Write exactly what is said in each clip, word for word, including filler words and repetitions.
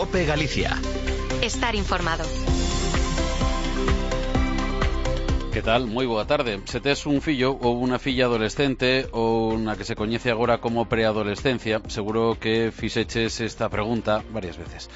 COPE Galicia. Estar informado. Que tal? Moi boa tarde. Se tes un fillo ou unha filla adolescente ou unha que se coñece agora como preadolescencia, seguro que fixeches esta pregunta varias veces.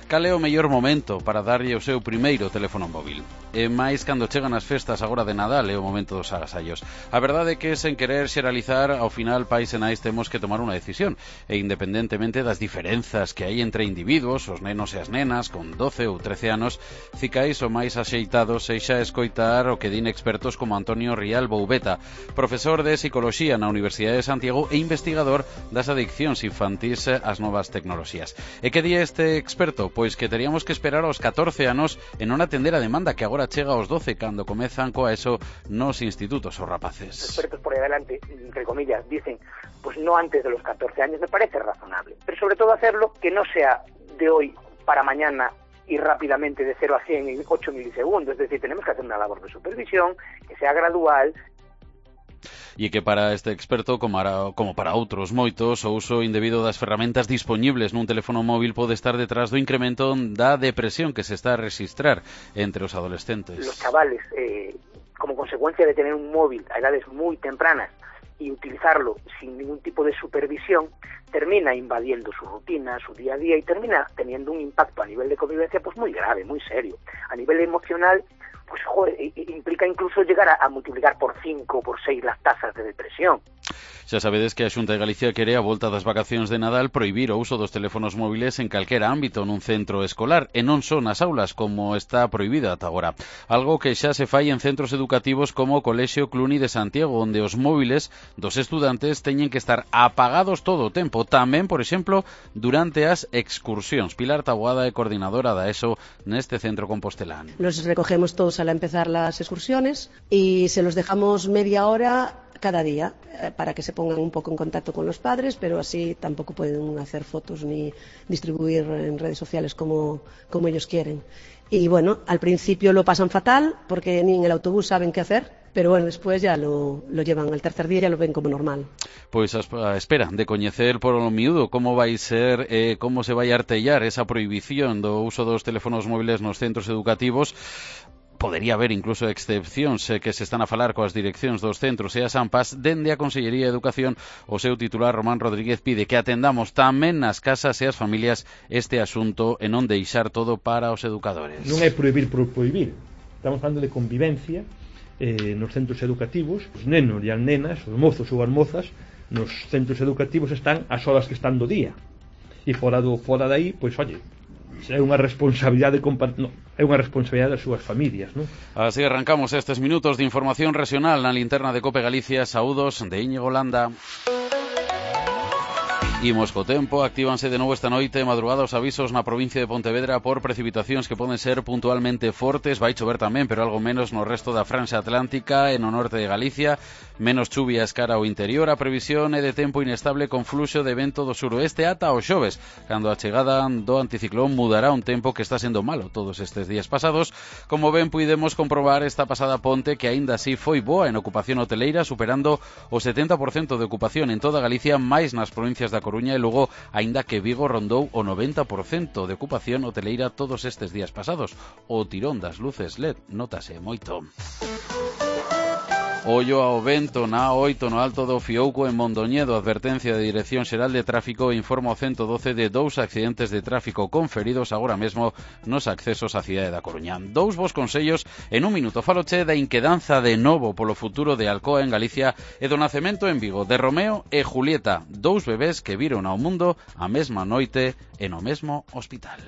Cal é o mellor momento para darlle o seu primeiro teléfono móvil? E máis cando chegan as festas agora de Nadal é o momento dos agasallos. A verdade é que, sen querer xeralizar, ao final pais e nais temos que tomar unha decisión. E independentemente das diferenzas que hai entre individuos, os nenos e as nenas, con doce ou trece anos, cicais o máis axeitado seixa escoitar o que din expertos como Antonio Rial Boubeta, profesor de Psicoloxía na Universidade de Santiago e investigador das adiccións infantís ás novas tecnoloxías. E que di este experto? Pois que teríamos que esperar aos catorce anos e non atender a demanda que agora chega aos doce cando comezan coa ESO nos institutos os rapaces. Los expertos por ahí adelante, entre comillas, dicen, pues no antes de los catorce años, me parece razonable. Pero sobre todo hacerlo que no sea de hoy para mañana y rápidamente de cero a cien en ocho milisegundos. Es decir, tenemos que hacer una labor de supervisión que sea gradual. E que para este experto, como para, como para outros moitos, o uso indebido das ferramentas dispoñibles nun teléfono móvil pode estar detrás do incremento da depresión que se está a registrar entre os adolescentes. Los chavales, eh, como consecuencia de tener un móvil a edades muy tempranas y utilizarlo sin ningún tipo de supervisión, termina invadiendo su rutina, su día a día y termina teniendo un impacto a nivel de convivencia pues muy grave, muy serio. A nivel emocional, pues joder, implica incluso llegar a, a multiplicar por cinco o por seis las tasas de depresión. Xa sabedes que a Xunta de Galicia quere a volta das vacacións de Nadal prohibir o uso dos teléfonos móviles en calquera ámbito nun centro escolar e non só nas aulas como está prohibido ata agora. Algo que xa se fai en centros educativos como o Colexio Cluny de Santiago, onde os móviles dos estudantes teñen que estar apagados todo o tempo, tamén, por exemplo, durante as excursións. Pilar Taboada é coordinadora da ESO neste centro compostelán. Los recogemos todos al empezar las excursiones y se los dejamos media hora cada día eh, para que se pongan un poco en contacto con los padres, pero así tampoco pueden hacer fotos ni distribuir en redes sociales como, como ellos quieren. Y bueno, al principio lo pasan fatal porque ni en el autobús saben qué hacer, pero bueno, después ya lo, lo llevan, al tercer día ya lo ven como normal. Pois a espera de coñecer por o miúdo como vai ser, eh, como se vai artellar esa prohibición do uso dos teléfonos móviles nos centros educativos. Podería haber incluso excepcións eh, que se están a falar coas direccións dos centros e as AMPAs. Dende a Consellería de Educación, o seu titular Román Rodríguez pide que atendamos tamén nas casas e as familias este asunto e non deixar todo para os educadores. Non é prohibir por prohibir, estamos falando de convivencia eh, nos centros educativos. Os nenos e as nenas, os mozos ou as mozas nos centros educativos están as horas que están do día e fora do fora dai, pois oye, é unha responsabilidade no, é unha responsabilidade das súas familias, non? Así arrancamos estes minutos de información regional na linterna de COPE Galicia. Saúdos de Íñigo Landa. Imos co tempo, actívanse de novo esta noite madrugada os avisos na provincia de Pontevedra por precipitacións que poden ser puntualmente fortes. Vai chover tamén, pero algo menos no resto da franxa atlántica e no norte de Galicia. Menos chuvias cara ao interior. A previsión é de tempo inestable con fluxo de vento do suroeste ata o xoves, cando a chegada do anticiclón mudará un tempo que está sendo malo todos estes días pasados. Como ben puidemos comprobar esta pasada ponte, que aínda así foi boa en ocupación hoteleira, superando o setenta por cento de ocupación en toda Galicia, máis nas provincias da Coruña e Lugo, aínda que Vigo rondou o noventa por cento de ocupación hoteleira todos estes días pasados. O tirón das luces L E D notase moito. Ollo ao vento na oito no Alto do Fiouco en Mondoñedo. Advertencia de Dirección Xeral de Tráfico informa o ciento doce de dous accidentes de tráfico conferidos agora mesmo nos accesos á cidade da Coruña. Dous vos consellos en un minuto. Faloche da inquedanza de novo polo futuro de Alcoa en Galicia e do nacemento en Vigo de Romeo e Julieta, dous bebés que viron ao mundo a mesma noite e no mesmo hospital.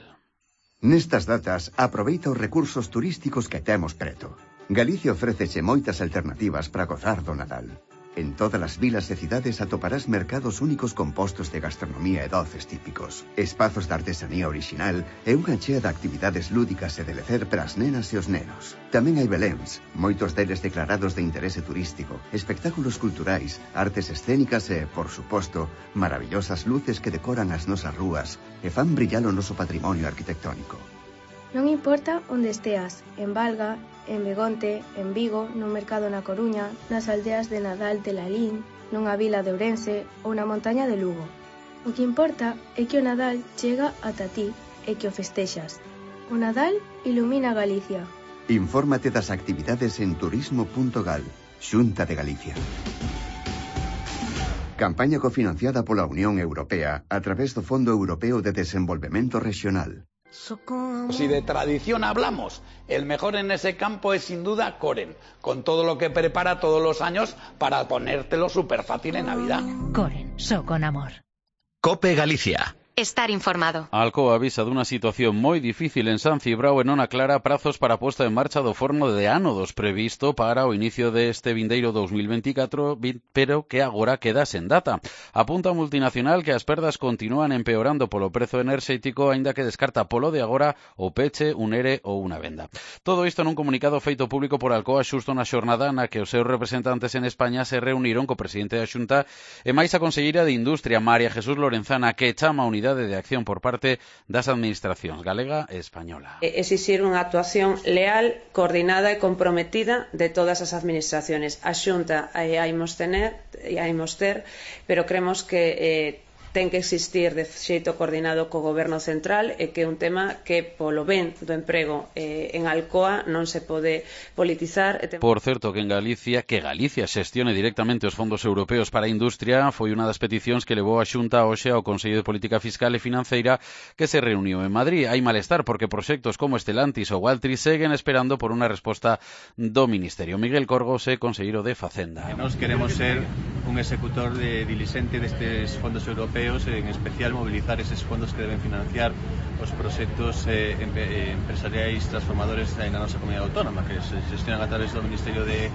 Nestas datas, aproveita os recursos turísticos que temos preto. Galicia ofréceche moitas alternativas para gozar do Nadal. En todas as vilas e cidades atoparás mercados únicos compostos de gastronomía e doces típicos, espazos de artesanía orixinal e unha chea de actividades lúdicas e de lecer para as nenas e os nenos. Tamén hai beléns, moitos deles declarados de interese turístico, espectáculos culturais, artes escénicas e, por suposto, maravillosas luces que decoran as nosas rúas e fan brillar o noso patrimonio arquitectónico. Non importa onde esteas, en Valga, en Begonte, en Vigo, no mercado na Coruña, nas aldeas de Nadal de Lalín, nunha vila de Ourense ou na montaña de Lugo. O que importa é que o Nadal chega ata ti e que o festexas. O Nadal ilumina Galicia. Infórmate das actividades en turismo punto gal, Xunta de Galicia. Campaña cofinanciada pola Unión Europea a través do Fondo Europeo de Desenvolvemento Regional. Si de tradición hablamos, el mejor en ese campo es sin duda Coren, con todo lo que prepara todos los años para ponértelo súper fácil en Navidad. Coren, so con amor. Cope Galicia. Estar informado. Alcoa avisa dunha situación moi difícil en San Cibrao e non aclara prazos para a posta en marcha do forno de ánodos previsto para o inicio deste vindeiro dos mil veinticatro, pero que agora queda sen data. Apunta a multinacional que as perdas continúan empeorando polo prezo enerxético, aínda que descarta polo de agora o peche, un ere ou unha venda. Todo isto nun comunicado feito público por Alcoa xusto na xornada na que os seus representantes en España se reuniron co presidente da Xunta e máis a conselleira de Industria, María Jesús Lorenzana, que chama a unidade de acción por parte das administracións galega e española. Exixir unha actuación leal, coordinada e comprometida de todas as administraciones. A Xunta a imos tener, a imos ter, pero creemos que eh, ten que existir de xeito coordinado co Goberno Central e que é un tema que polo ben do emprego eh, en Alcoa non se pode politizar. Por certo, que en Galicia, que Galicia xestione directamente os fondos europeos para a industria foi unha das peticións que levou a Xunta hoxe ao Consello de Política Fiscal e Financeira que se reuniu en Madrid. Hai malestar porque proxectos como Estelantis ou Altris seguen esperando por unha resposta do Ministerio. Miguel Corgos é conselleiro de Facenda. Nos queremos ser un executor de diligente destes fondos europeos, en especial movilizar eses fondos que deben financiar os proxectos eh, empresariais transformadores na nosa comunidade autónoma, que se gestionan a través do Ministerio de,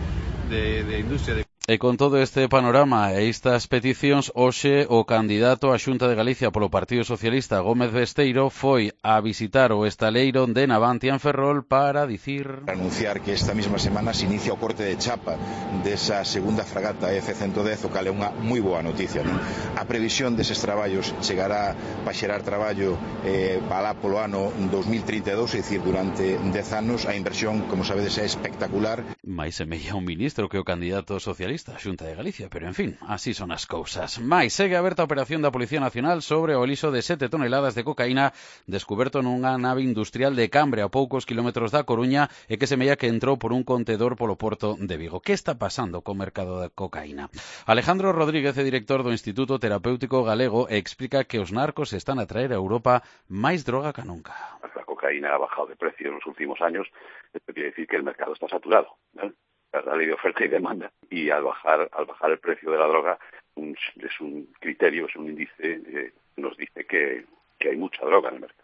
de, de Industria. De... E con todo este panorama e estas peticións, hoxe o candidato á Xunta de Galicia polo Partido Socialista, Gómez Besteiro, foi a visitar o estaleiro de Navantia en Ferrol para dicir... Anunciar que esta mesma semana se inicia o corte de chapa desa segunda fragata F ciento dez, o cal é unha moi boa noticia, non? A previsión deses traballos chegará para xerar traballo eh, para polo ano dos mil trinta e dous, é dicir, durante dez anos. A inversión, como sabedes, é espectacular. Mais semella un ministro que o candidato socialista a Xunta de Galicia, pero en fin, así son as cousas. Mais segue aberta a operación da Policía Nacional sobre o elixo de sete toneladas de cocaína descuberto nunha nave industrial de Cambre a poucos kilómetros da Coruña e que semella que entrou por un contedor polo porto de Vigo. Que está pasando co mercado da cocaína? Alejandro Rodríguez é director do Instituto Terapéutico Galego e explica que os narcos están a traer a Europa máis droga que nunca. La cocaína ha bajado de precio en los últimos años, esto quiere decir que el mercado está saturado, ¿no? La ley de oferta y demanda, y al bajar al bajar el precio de la droga un, es un criterio, es un índice eh, nos dice que, que hay mucha droga en el mercado.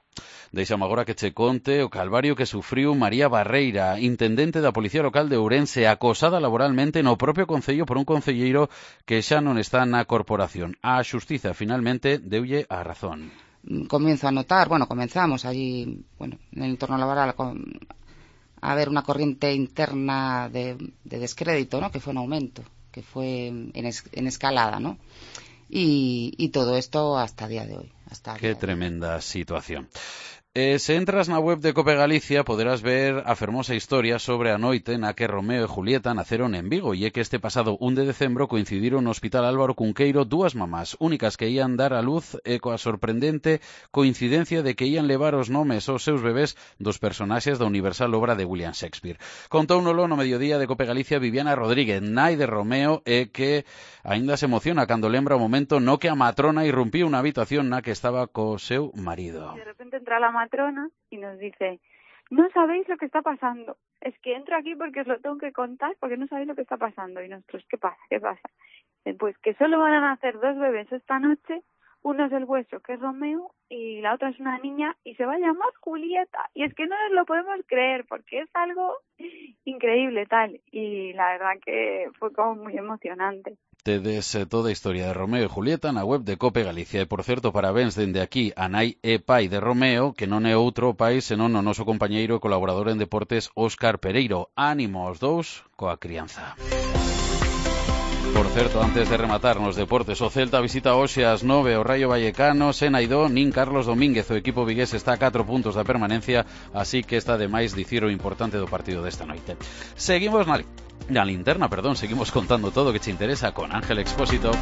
Deixame agora que che conte o calvario que sufriu María Barreira, intendente da Policía Local de Ourense, acosada laboralmente no propio concello por un concelleiro que xa non está na corporación. A xustiza finalmente deulle a razón. Comienzo a notar, bueno, comenzamos allí, bueno, en el entorno laboral con a haber una corriente interna de, de descrédito, ¿no? Que fue en aumento, que fue en, es, en escalada, ¿no? Y, y todo esto hasta el día de hoy. Hasta Qué tremenda situación. Eh, se entras na web de Cope Galicia poderás ver a fermosa historia sobre a noite na que Romeo e Julieta naceron en Vigo e é que este pasado un de decembro coincidiron no Hospital Álvaro Cunqueiro dúas mamás únicas que ían dar a luz e coa sorprendente coincidencia de que ían levar os nomes aos seus bebés dos personaxes da universal obra de William Shakespeare. Contóunolo no mediodía de Cope Galicia Viviana Rodríguez, nai de Romeo, e que aínda se emociona cando lembra o momento no que a matrona irrumpiu na habitación na que estaba co seu marido. De repente entra la matrona y nos dice, no sabéis lo que está pasando, es que entro aquí porque os lo tengo que contar porque no sabéis lo que está pasando. Y nosotros, ¿qué pasa? ¿Qué pasa? Pues que solo van a nacer dos bebés esta noche, uno es el vuestro, que es Romeo, y la otra es una niña, y se va a llamar Julieta. Y es que no nos lo podemos creer, porque es algo increíble, tal. Y la verdad que fue como muy emocionante. Tedes toda a historia de Romeo e Julieta na web de Cope Galicia. E, por certo, parabéns dende aquí a nai e pai de Romeo, que non é outro pai senón o noso compañeiro e colaborador en deportes Óscar Pereiro. Ánimo aos dous coa crianza. Por certo, antes de rematar nos deportes, o Celta visita hoxe ás nove o Rayo Vallecano, sen Aidó nin Carlos Domínguez. O equipo vigués está a catro puntos da permanencia, así que está de máis dicir o importante do partido desta noite. Seguimos na, na linterna, perdón, seguimos contando todo o que che interesa con Ángel Expósito.